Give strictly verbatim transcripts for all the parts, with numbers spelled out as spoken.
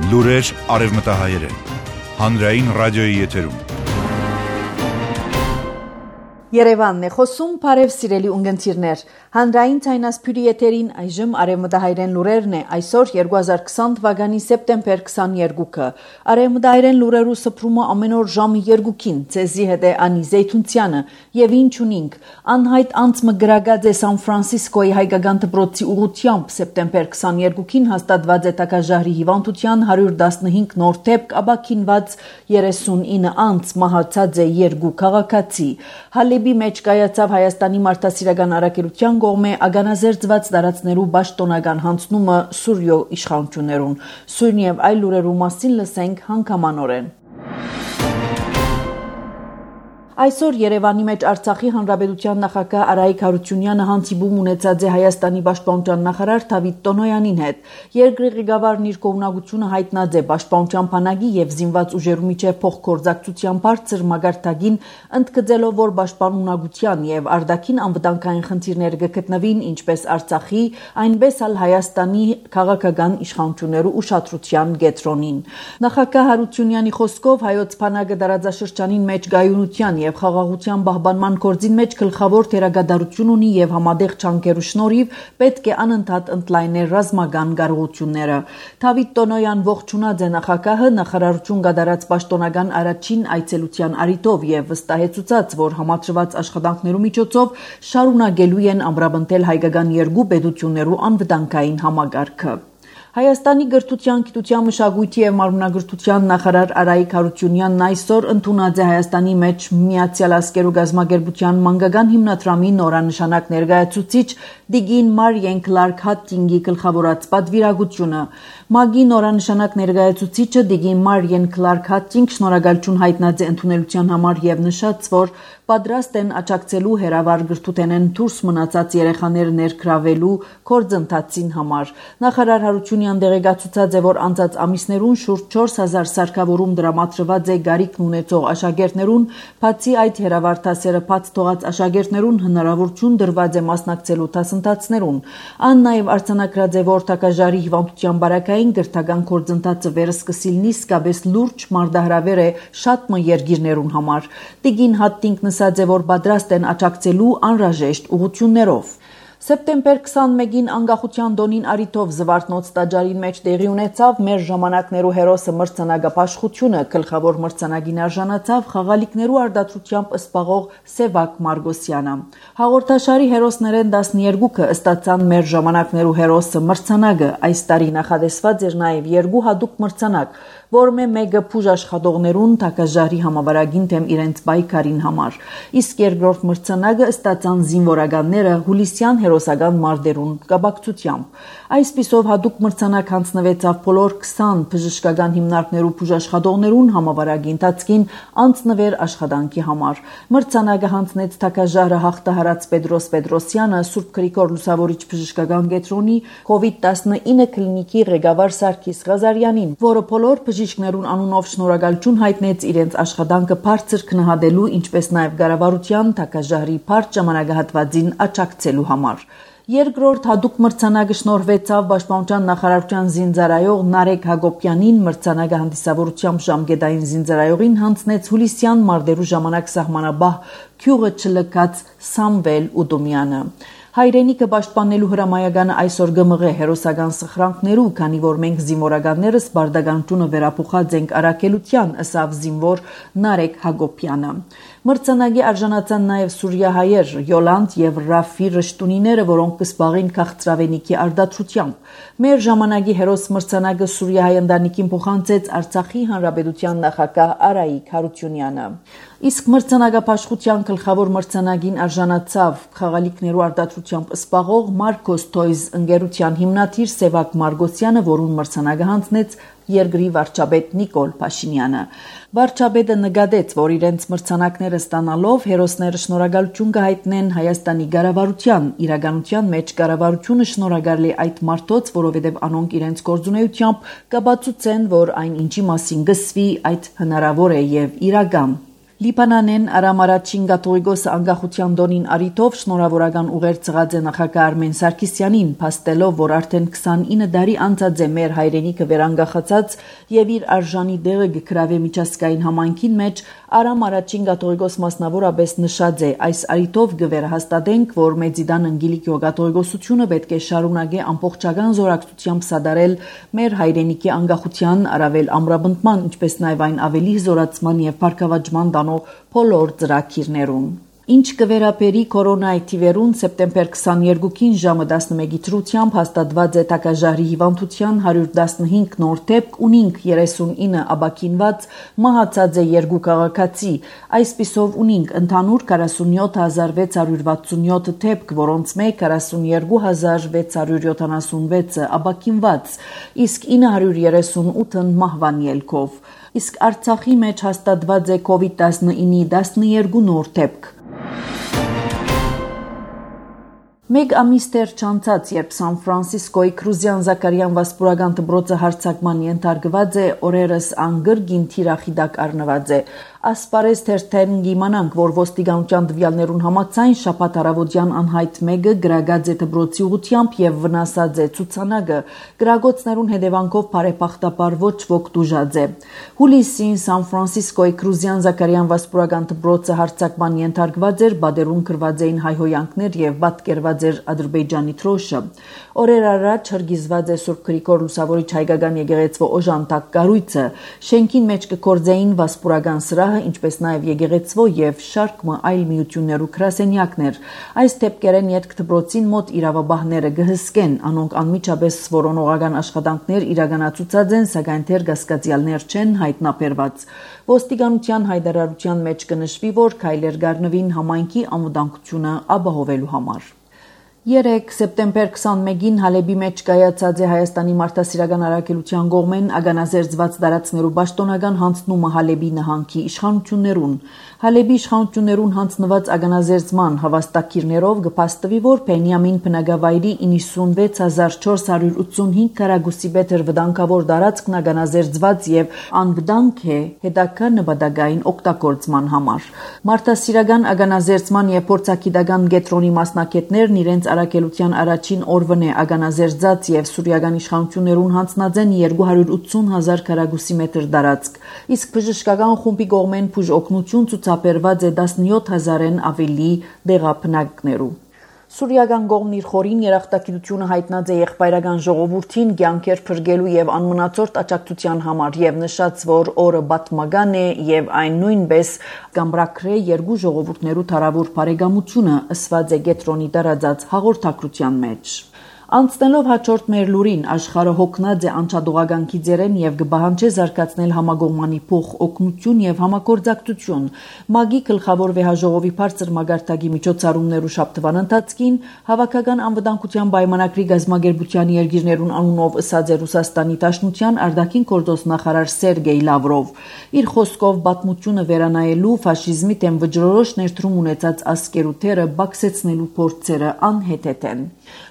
Լուրեր արևմտահայերեն։ Հանրային ռադիոյի եթերում։ Երևանն է խոսում, բարև սիրելի ունգընտիրներ։ Հանրային ցայնասփյուրի եթերին այժմ արևմտահայերեն լուրերն է այսօր երկու հազար քսան թվականի սեպտեմբեր քսաներկուը։ Արևմտահայերեն լուրերու սփռումը ամեն օր ժամը երկուքին, ցեզի հետ է Անի Զեյթունցյանը, եւ ինչ ունինք։ Անհայտ անցմը գրագած է Սան Ֆրանցիսկոյի հայկական դպրոցի ուղղությամբ սեպտեմբեր քսաներկուին հաստատված է տակաժահրի հիվանդության հարյուր տասնհինգ նոր դեպք, ապաքինված երեսունինը անց մահացած է երկու քաղաքացի։ Հալեբի մեջ կայացավ Հայաստանի մարդասիրական առաքելության կողմէ ագանազերծված տարածքներու պաշտոնական հանձնումը Սուրյո իշխանություններուն։ Սույն եւ այլ լուրերու մասին լսենք հանգամանորեն։ Այսօր Երևանի մեջ Արցախի Հանրապետության նախագահ Արայիկ Հարությունյանը հանդիպում ունեցած է Հայաստանի պաշտպանության նախարար Դավիթ Տոնոյանի հետ։ Երկրի ղեկավարն իր կողմնակությունը հայտնած է պաշտպանության բանակի եւ զինված ուժերու միջև փոխգործակցության բարձր մագարտագին, ընդգծելով, որ պաշտպանունակության եւ արտաքին անվտանգային խնդիրները կգտնվին ինչպես Արցախի, այնպես էլ Հայաստանի քաղաքական իշխանություններու ուշադրության կենտրոնին։ Նախագահ Հարությունյանի խոսքով հայոց բանակը տարածաշրջանին մեջ գայունության եւ խաղաղության պահպանման գործին մեջ գլխավոր դերակատարություն ունի եւ համատեղ ջանքերու շնորհիվ պետք է անընդհատ ընդլայնել ռազմական կարողությունները։ Դավիթ Տոնոյան ողջունած է նախագահը նախարարություն կատարած պաշտոնական առաջին այցելության առիթով եւ վստահեցուցած, որ համաձայնված աշխատանքներու միջոցով շարունակելու են ամրապնդել հայկական երկու պետություններու անվտանգային համագարկը։ Հայաստանի գրթության, գիտության, մշակույթի եւ մարմնագրթության նախարար Արայիկ Հարությունյանն այսօր ընդունած է Հայաստանի մեջ Միացյալ Ազգերու գազམ་ագերբության մանկական հիմնադրամի նորանշանակ ներկայացուցիչ Դիգին Մարիեն Կլարկ Հատտինգի գլխավորած պատվիրակությունը։ ՄԱԳ-ի նորանշանակ ներկայացուցիչը Դիգին Մարիեն Կլարկ Հատտինգ շնորհակալություն հայտնած է ընդունելության համար եւ նշած, որ պատրաստ են աջակցելու հերավար գրթութենեն դուրս մնացած երեխաները ներգրավելու գործընթացին համար։ Նախարար Հարությունյան դեղեկացուցած է, որ անցած ամիսներուն շուրջ չորս հազար սարքավորում դրամատրված է գարիքն ունեցող աշակերտներուն, բացի այդ հերավար դասերը բաց թողած աշակերտներուն հնարավորություն դրված է մասնակցելու դասընթացներուն։ Ան նաև արձանագրած է, որ տակաժարի հիվանդության բարակային գրթական գործընթացը վերսկսիլնի իսկապես լուրջ մարտահրավեր է շատ մը երկիրներուն համար։ Տիգին Հատտինգն ասաց է, որ պատրաստ են աջակցելու անհրաժեշտ ուղղություններով։ Սեպտեմբեր քսանմեկին անկախության տոնին առիթով Զվարթնոց տաճարին մեջ տեղի ունեցավ մեր ժամանակներու հերոսը մրցանակապաշխությունը, գլխավոր մրցանակին արժանացավ խաղալիքներու արտադրությամբ սպաղող Սևակ Մարգոսյանը։ Հաղորդաշարի հերոսներեն տասներկուքը ստացան մեր ժամանակներու հերոսը մրցանակը։ Այս տարի նախատեսված էր նաև երկու հատուկ մրցանակ, որմե մեկը փուժ աշխատողներուն տակաժարի համավարագին թեմ իրենց պայքարին համար։ Իսկ երկրորդ մրցանակը ստացան զինվորականները հուլիսյան հերոսական մարտերուն կապակցությամբ։ Այսպիսով հատուկ մրցանակ հանձնվեցավ բոլոր քսան բժշկական հիմնարկներու բուժաշխատողներուն համավարակի ընթացքին անձնվեր աշխատանքի համար։ Մրցանակը հանձնեց տակաժարը հաղթահարած Պետրոս Պետրոսյանը Սուրբ Գրիգոր Լուսավորիչ բժշկական կենտրոնի կովիդ տասնինը կլինիկի ղեկավար Սարգիս Ղազարյանին, որը բոլոր բժիշկներուն անունով շնորհակալություն հայտնեց իրենց աշխատանքը բարձր գնահատելու, ինչպես նաև կառավարության տակաժարի բարդ ժամանակահատվածին աջակցելու համար։ Երկրորդ հատուկ մրցանակը շնորհվեցավ Պաշտպանության նախարարության զինծառայող Նարեկ Հակոբյանին, մրցանակը հանդիսավորությամբ ժամկետային զինծառայողին հանձնեց հուլիսյան մարտերու ժամանակ սահմանաբահ գյուղը չլքած Սամվել Ուդումյանը։ Հայրենիքը պաշտպանելու հրամայականը այսօր գմղ է հերոսական սխրանքներու, քանի որ մենք զինվորականներս բարդականությունը վերափոխած ենք առաքելության, ըսավ զինվոր Նարեկ Հակոբյանը։ Մրցանակի արժանացան նաև սուրիահայեր Յոլանդ եւ Ռաֆի Ռշտունիները, որոնք կսպաղին քաղցրավենիքի արտադրությամբ։ Մեր ժամանակի հերոս մրցանակը սուրիահայ ընտանիքին փոխանցեց Արցախի Հանրապետության նախագահ Արայիկ Հարությունյանը։ Իսկ մրցանակապաշխության գլխավոր մրցանակին արժանացավ խաղալիքներու արտադրությամբ սպաղող Մարկոս Toys ընկերության հիմնադիր Սևակ Մարգոսյանը, որուն մրցանակը հանձնեց երկրի վարչապետ Նիկոլ Փաշինյանը։ Վարչապետը նկատեց, որ իրենց մրցանակները ստանալով հերոսները շնորհակալություն կհայտնեն Հայաստանի կառավարության, իրականության մեջ կառավարությունը շնորհակալ է այդ մարդոց, որովհետև անոնք իրենց գործունեությամբ կապացուցեն, որ այն ինչի մասին գսվի այդ հնարավոր է եւ իրական։ Լիբանանեն Արամ առաջին Գաթողիկոսը անկախության տոնին առիթով շնորհավորական ուղեր ցղած է նախագահ Արմեն Սարգսյանին, փաստելով, որ արդեն քսանինը տարի անցած է մեր հայրենիքը վերանգախացած եւ իր արժանի դեղը գկրավե միջազգային համայնքին մեջ, Արամ առաջին Գաթողիկոս մասնավորապես նշած է, այս առիթով կվերահաստատենք, որ Մեծիդան Անգելիկիո Գաթողիկոսությունը պետք է շարունակի ամբողջական զորակցությամբ սադարել մեր հայրենիքի անկախության, առավել ամրապնդման, ինչպես նաեւ այն ավելի զորացման եւ բարգավաճման տանող բոլոր ծրագիրներուն։ Ինչ կվերապերի կորոնայի թիվերուն սեպտեմբեր քսաներկուին ժամը տասնմեկի դրությամբ հաստատված է տակաժարի հիվանդության հարյուր տասնհինգ նոր դեպք, ունինք երեսունինը աբակինված, մահացած է երկու քաղաքացի, այսպիսով ունինք ընդհանուր քառասունյոթ հազար վեց հարյուր վաթսունյոթ դեպք, որոնց մեկ քառասունյերկու հազար վեց հարյուր յոթանասունվեցը աբակինված, իսկ ինը հարյուր երեսունութն մահվան ելքով, իսկ Արցախի մեջ հաստատված է կովիդ տասնինի տասներկու նոր դեպք։ Մեկ ամիս դեռ չանցած, երբ Սան Ֆրանսիսկոյի Կրուզյան Զաքարյան վասպուրական դպրոցը հարձակման ենթարկված է, օրերս անգրգին թիրախիդակ առնված է։ Ասպարեզ թերթերն գիմանանք, որ ոստիկանության տվյալներուն համաձայն շաբաթ առավոտյան անհայտ մեկը գրագած է դպրոցի ուղղությամբ եւ վնասած է ցուցանակը, գրագոցներուն հետևանքով բարեբախտաբար ոչ ոք դուժած է։ Հուլիսին Սան Ֆրանսիսկոյի Կրուզյան Զաքարյան վասպուրական դպրոցը հարձակման ենթարկված էր, բادرուն գրված էին հայհոյանքներ եւ պատկերված էր Ադրբեջանի թրոշը։ Օրեր առաջ հրգիզված է Սուրբ Գրիգոր Լուսավորիչ հայկական եկեղեցվո օժանդակ կառույցը, շենքին մեջ կկործեին վասպուրական սրահը, ինչպես նաև եկեղեցվո եւ շարք այլ միություններու գրասենյակներ։ Այս դեպքերեն յետք դպրոցին մոտ իրավաբահները գհսկեն, անոնք անմիջապես որոնողական աշխատանքներ իրականացուցած են, սակայն դեռ գասկածյալներ չեն հայտնաբերված։ Ոստիկանության հայտարարության մեջ կնշվի, որ քայլեր գարնվին համայնքի անվտանգությունը ապահովելու համար։ Երեկ սեպտեմբեր քսանմեկին Հալեբի մեջ կայացած է Հայաստանի մարդասիրական առաքելության կողմեն ագանազերծված տարածքներու պաշտոնական հանձնումը Հալեբի նահանգի իշխանություններուն։ Հալեբի իշխանություններուն հանձնված ագանազերծման հավաստակիրներով կփաստվի, որ Փենիամին բնակավայրի իննսունվեց հազար չորս հարյուր ութսունհինգ քառակուսի մետր վտանգավոր տարածքն ագանազերծված եւ անվտանգ է հետագա նպատակային օգտագործման համար։ Մարդասիրական ագանազերծման եւ փորձագիտական կենտրոնի մասնակիցներն իրենց առաքելության առաջին օրվն է ագանազերծած եւ սուրիական իշխանություններուն հանձնած են երկու հարյուր ութսուն հազար քառակուսի մետր տարածք, իսկ բժշկական խումբի կողմեն բուժ օգնություն ցուցաբերված է տասնյոթ հազարեն ավելի դեղապնակներու։ Սուրիական կողմն իր խորին երախտագիտությունը հայտնած է եղբայրական ժողովրդին կյանքեր փրկելու եւ անմնացորդ աջակցության համար եւ նշած, որ օրը պատմական է եւ այն նույնպես կամբրակրե երկու ժողովուրդներու թարավոր բարեկամությունը, ըսված է կենտրոնի տարածած հաղորդակցության մեջ։ Անցնելով հաջորդ մեր լուրին, աշխարհը հոգնած է անչադողականքի ձերեն եւ կբահանջե զարգացնել համագողմանի փոխ օգնություն եւ համագործակցություն։ ՄԱԳ-ի գլխավոր վեհաժողովի բարձր մագարտակի միջոցառումներու շաբթվան ընթացքին հավաքական անվտանգության պայմանագրի գազագերբության երկիրներուն անունով ըսած է Ռուսաստանի Դաշնության արտաքին գործոս նախարար Սերգեյ Լավրով։ Իր խոսքով պատմությունը վերանայելու ֆաշիզմի դեմ վճռորոշ ներդրում ունեցած ազգերու թերը բացեցնելու փորձերը անհետետ են։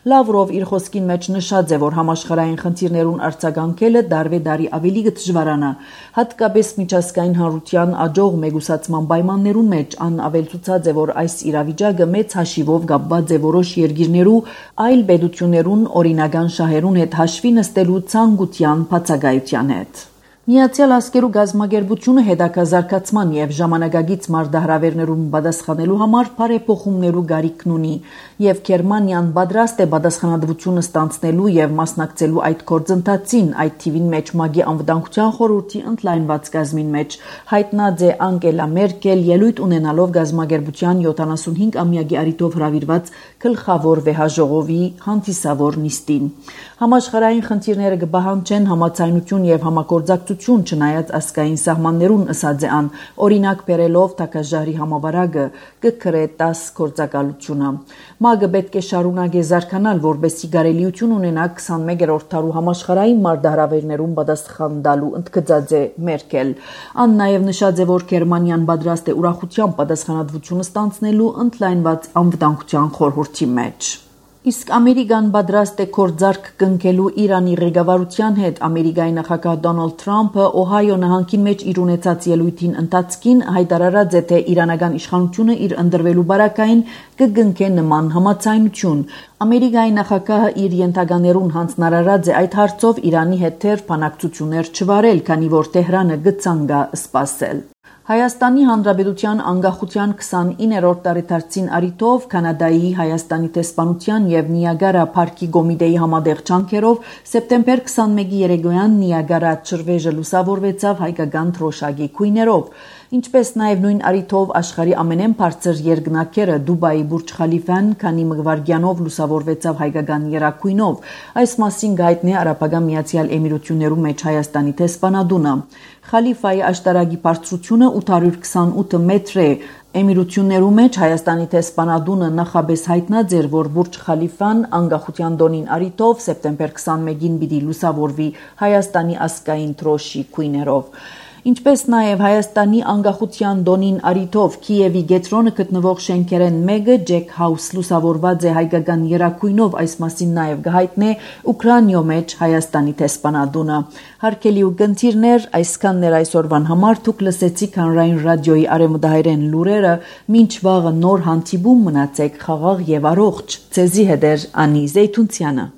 Լավրով իր խոսքին մեջ նշած է, որ համաշխարհային խնդիրներուն արձագանքելը դարվե դարի ավելի կդժվարանա, հատկապես միջազգային հանրության աջող մեգուսացման պայմաններուն մեջ, ան ավելցուցած է, որ այս իրավիճակը մեծ հաշիվով կապված է որոշ երկիրներու այլ պետություններուն օրինական շահերուն հետ հաշվի նստելու ցանկության բացակայության հետ։ Միացյալ Ազգերու գազագերբությունը հետաքազարգացման եւ ժամանակագից մարտահրավերներուն պատասխանելու համար բարեփոխումներու գարիքն ունի եւ Գերմանիան պատրաստ է պատասխանատվությունը ստանցնելու եւ մասնակցելու այդ գործընթացին, այդ թիվին մեջ ՄԱԳ-ի անվտանգության խորհրդի ընդլայնված գազմին մեջ հայտնած է Անգելա Մերկել, ելույթ ունենալով գազագերբության յոթանասունհինգամյակի առիթով հրավիրված գլխավոր վեհաժողովի հանդիսավոր նիստին։ Համաշխարհային խնդիրները կբահանջեն համացայնություն եւ համագործակցություն չնայած ազգային սահմաններուն, ըսած է ան, օրինակ բերելով Թակաժարի համավարակը կգրե տաս գործակալությունը։ ՄԱԳ-ը պետք է շարունակի զարգանալ, որպեսզի կարելիություն ունենա քսանմեկերորդ դարու համաշխարհային մարտահրավերներուն պատասխան տալու, ընդգծած է Մերկել։ Ան նաեւ նշած է, որ Գերմանիան պատրաստ է ուրախությամբ պատասխանատվությունը ստանցնելու ընդլայնված անվտանգության խորհրդի մեջ։ Իսկ Ամերիկան պատրաստ է քորձարք կնքելու Իրանի ղեկավարության հետ։ Ամերիկայի նախագահ Դոնալդ Թրամփը Օհայո նահանգի մեջ իր ունեցած ելույթին ընթացքին հայտարարած է, թե իրանական իշխանությունը իր ընդրվելու բարակային կգնքե նման համաձայնություն։ Ամերիկայի նախագահը իր ենթականերուն հանձնարարած է այդ հարցով Իրանի հետ թեր բանակցություններ չվարել, քանի որ Թեհրանը գծանգա սպասել։ Հայաստանի Հանրապետության անկախության քսանիններորդ տարեդարձին առիթով Կանադայի, Հայաստանի տեսփանության եւ Նիագարա Փարքի կոմիտեի համատեղ ջանքերով սեպտեմբեր քսանմեկի երեկոյան Նիագարա ջրվեժը լուսավորվեցավ հայկական թրոշակի գույներով, ինչպես նաեւ նույն առիթով աշխարհի ամենեն բարձր երկնաքերը Դուբայի Բուրջ Խալիֆան քանի մղվարգյանով լուսավորվեցավ հայկական երակույնով։ Այս մասին գայտնի Արաբական Միացյալ Էմիրություններու մեջ Հայաստանի տեսփանադունը։ Խալիֆայի աշտարակի բարձրությունը ութ հարյուր քսանութ մետր է։ Էմիրություններու մեջ Հայաստանի տեսփանադունը նախաբես հայտնած էր, որ Բուրջ Խալիֆան անկախության տոնին առիթով սեպտեմբեր քսանմեկին պիտի լուսավորվի Հայաստանի ազգային թրոշի գույներով։ Ինչպես նաև Հայաստանի անկախության տոնին առիթով Կիևի գետրոնը գտնվող շենքերեն մեկը Ջեք Հաուս լուսավորված է հայկական երակույնով, այս մասին նաև գահիտնե Ուկրաինայո մեջ Հայաստանի տեսփանադունը։ Հարգելի ուղդիրներ, այսքաններ այսօրվան համար դուք լսեցիք Հանրային ռադիոյի արևմտահայերեն լուրերը, մինչ վաղը նոր հանդիպում մնացեք խաղաղ եւ առողջ։ Ձեզի հետ է Անի Զեյթունցյանը։